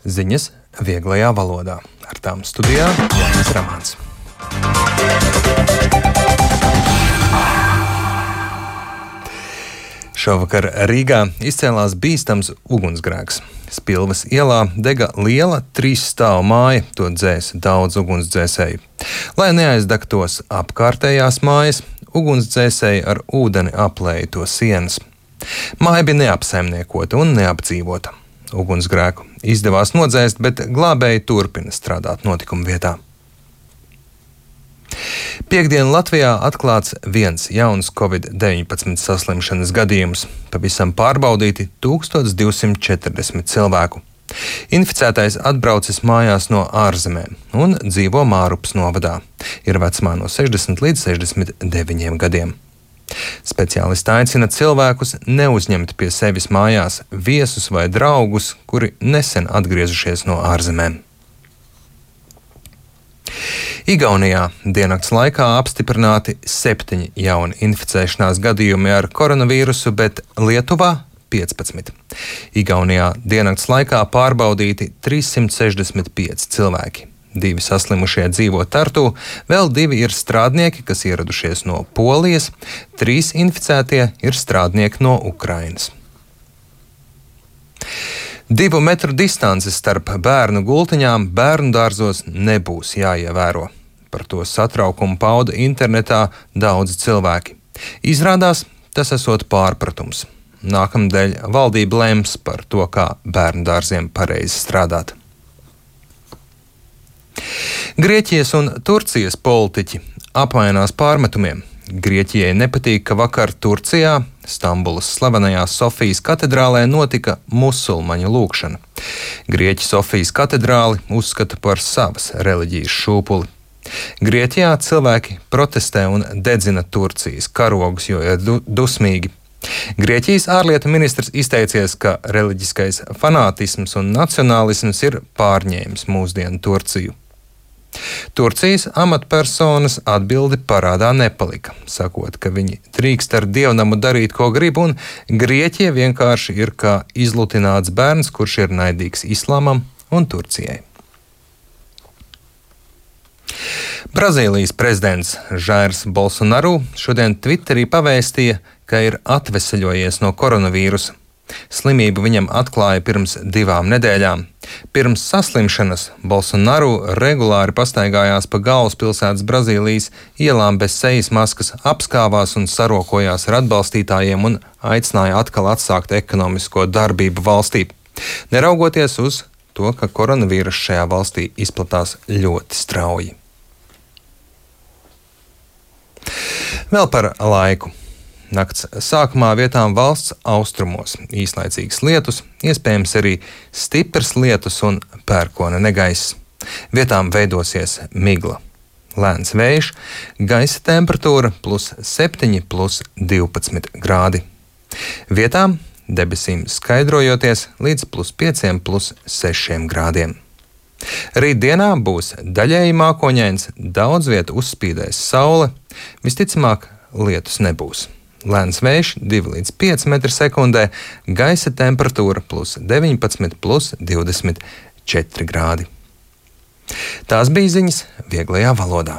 Ziņas vieglajā valodā. Ar tām studijā Jānis Ramāns. Šovakar Rīgā izcēlās bīstams ugunsgrēks. Spilves ielā dega liela 3 stāvu māja, to dzēsa daudz ugunsdzēsēju. Lai neaizdegtos apkārtējās mājas, ugunsdzēsēji ar ūdeni aplēja to sienas. Māja bija neapsaimniekota un neapdzīvota. Ugunsgrēku izdevās nodzēst, bet glābēji turpina strādāt notikuma vietā. Piektdien Latvijā atklāts viens jauns Covid-19 saslimšanas gadījums. Pavisam pārbaudīti 1240 cilvēku. Inficētais atbraucis mājās no ārzemēm un dzīvo Mārupas novadā. Ir vecumā no 60 līdz 69 gadiem. Speciālisti aicina cilvēkus neuzņemt pie sevis mājās viesus vai draugus, kuri nesen atgriezušies no ārzemēm. Igaunijā diennakts laikā apstiprināti 7 jauni inficēšanās gadījumi ar koronavīrusu, bet Lietuvā 15. Igaunijā diennakts laikā pārbaudīti 365 cilvēki. 2 saslimušie dzīvo Tartu, vēl 2 ir strādnieki, kas ieradušies no Polijas, 3 inficētie ir strādnieki no Ukrainas. 2 metru distances starp bērnu gultiņām bērnu dārzos nebūs jāievēro. Par to satraukumu pauda internetā daudzi cilvēki. Izrādās, tas esot pārpratums. Nākamnedēļ valdība lems par to, kā bērnu dārziem pareizi strādāt. Grieķijas un Turcijas politiķi apmainās pārmetumiem. Grieķijai nepatīk, ka vakar Turcijā, Stambulas slavenajā Sofijas katedrālē, notika musulmaņu lūgšana. Grieķi Sofijas katedrāli uzskata par savas reliģijas šūpuli. Grieķijā cilvēki protestē un dedzina Turcijas karogus, jo ir dusmīgi. Grieķijas ārlietu ministrs izteicies, ka reliģiskais fanātisms un nacionālisms ir pārņēmis mūsdienu Turciju. Turcijas amatpersonas atbildi parādā nepalika, sakot, ka viņi drīkst ar dievnamu darīt, ko grib, un Grieķija vienkārši ir kā izlutināts bērns, kurš ir naidīgs islāmam un Turcijai. Brazīlijas prezidents Jairs Bolsonaru šodien Twitterī pavēstīja, ka ir atveseļojies no koronavīrusa. Slimību viņam atklāja pirms 2 nedēļām. Pirms saslimšanas Bolsonaru regulāri pastaigājās pa galvaspilsētas Brazīlijas ielām bez sejas maskas, apskāvās un sarokojās ar atbalstītājiem un aicināja atkal atsākt ekonomisko darbību valstī. Neraugoties uz to, ka koronavīrus šajā valstī izplatās ļoti strauji. Vēl par laiku. Nakts sākumā vietām valsts austrumos īslaicīgas lietus, iespējams arī stiprs lietus un pērkona negaiss. Vietām veidosies migla. Lēns vējš, gaisa temperatūra +7, +12 grādi. Vietām debesīm skaidrojoties līdz +5, +6 grādiem. Rītdienā būs daļēji mākoņains, daudz vietu uzspīdēs saule, visticamāk lietus nebūs. Lēns vējš 2 līdz 5 m/sekundē, gaisa temperatūra +19, +24 grādi. Tās bija ziņas vieglajā valodā.